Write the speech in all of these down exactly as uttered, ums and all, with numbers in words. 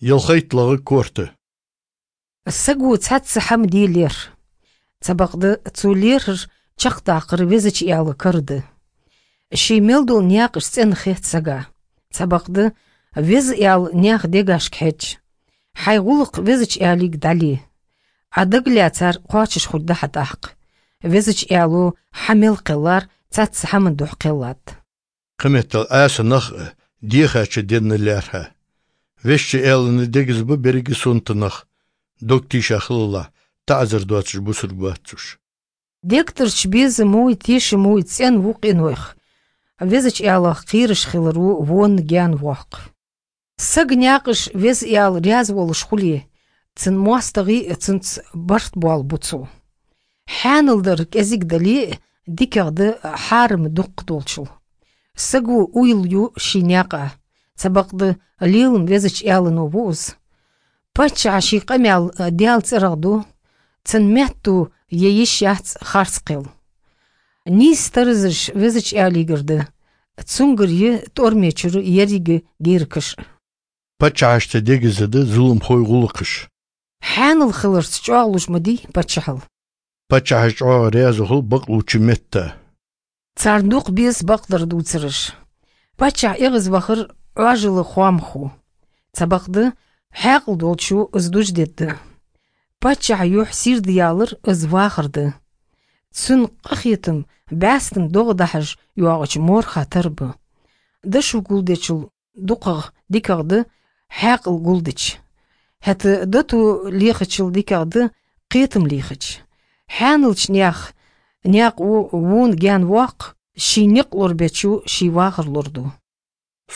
ЯлхайтталагӀа корта. Саго цхьацца хӀама де лерхӀ. Цхьабакъда цо лерхӀар чакхдаккхар Везача Даьла кара да. Ший мел дола наькъаш цӀена хет сага. Цхьабакъда Веза Даьла наьха дегашка хьеж. Хьай гӀулакх Везача Даьлага дӀале. Ӏа дагалаьцар кхоачаш хургда хьа тӀаккха. Везача Даьло хьа мел кхеллар цхьацца хӀаман духьа кхеллад. Кхыметтел Ӏаса нах а дехача денна лаьрхӀа. Везача Даьлага дегаза ба беррига сонта нах, дог тийша хилалахь, таӀазар доацаш бусалба вац уж. Дегтарча безамеи тешамеи цӀена ва къинойх. Везача Даьлах кхераш хиларо вон гаьна воаккх. Сага наькъаш Веза Даьла раьза волаш хуле, цун моастагӀий а цунца барт боалабу цо. Хьаьнал дар кӀезига дале а, дикагӀа да хьарам дукха долчул. Саго уйла ю ший наькъа, цхьабакъда лелам Везача Даьлано ва из. Паччахьа ший къамаьл Даьла цӀерагӀа ду, цун метто е йиш яц харц кхел. Нийса таразаш Везача Даьлагара да, цунгара я тӀормечура еррига геракаш. Паччахьашта дегаза да зуламхой гӀулакхаш. Хьаьнал хиларца чӀоагӀлуш ма дий паччахьал. Паччахьаш чӀоагӀа раьза хул бакълувча метта. Царна дукха беза бакъдар дувцараш. Паччахь эгӀазвахар Ӏоажала хоамах ва. Цхьабакъда хьаькъал долчо из дуждергда. Паччахьа юхь сийрда ялар из вахар да. Цун къахетам бӀаьстан догӀа дахьаш йоагӀача морха тара ба. Дошо гулдечул дукхагӀа дикагӀа да хьаькъал гулдича. ХӀаьта дото лехачул дикагӀа да кхетам лехача. Хьаьналча наьха наькъо вон гаьна воаккх, ший никъ лорабечо ший вахар лораду.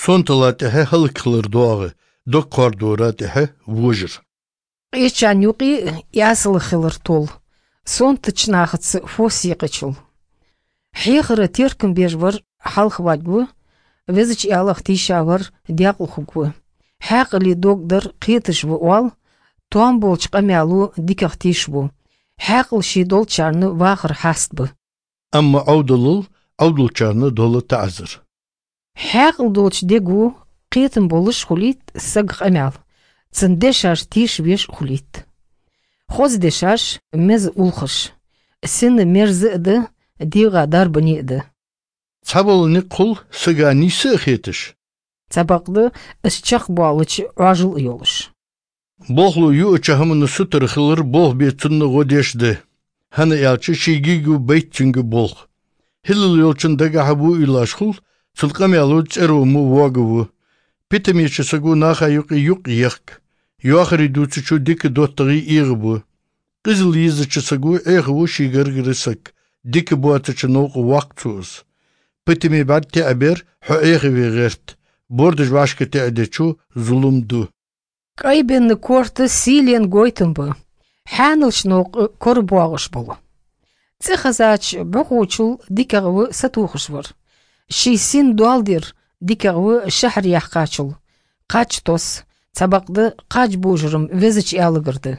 Сонтала тӀехьа хӀалакхилар доагӀа, дог кхоардора тӀехьа вожар. Къечарна юкъе Ӏасалах хилар тол, сонтача нахаца фос екъачул. Хьехара теркам беш вар хьалхаваргва, Везача Даьлах тийша вар даькъала хургва. Хьаькъале дог дар кхеташ ва оал, тоам болча къамаьло дикагӀа тешабу. Хьаькъал ше долчарна вахар хьаст ба. Амма Ӏовдалал Ӏовдалчарна дола таӀазар. Хьаькъал долча дего кхетам болаш хулийт сага къамаьл, цун дешаш тешавеш хулийт. Хоза дешаш меза улхаш, сина мерза а да, дегӀа дарбане а да. Цхьабола никъ хул сага нийса а хеташ. Цхьабакъда из чакхбоалача Ӏоажал а йолаш. Болхло юача хӀамана сутара хилар болх бе цунна гӀо деш да. ХӀана аьлча шийгига байт цунга болх. ХӀиллал йолчун дагахьа во уйлаш хул, цул къамаьло цӀеро мо воагаву. Питамеча саго наха юкъе юкъ ехк. Йоахари дувцачо дика доттагӀий эгӀабу. Къизал езача саго Ӏехаву ший гаргара саг, дика боацача новкъа воаккх цо из. Питаме бӀарг тӀеӀабер хьо Ӏехаве гӀерт, бордаш вӀашка тӀеӀадечо зулам ду. КӀайбенна корта сийлен гойтам ба, хьаьналча новкъа кора боагӀаш бола. ЦӀихезача бӀухочул дикагӀа ва сатохаш вар. Ший син доал дер дикагӀа ва шахьар яьккхачул. Кхаж тос, цхьабакъда кхаж божарам Везача Даьлагара да.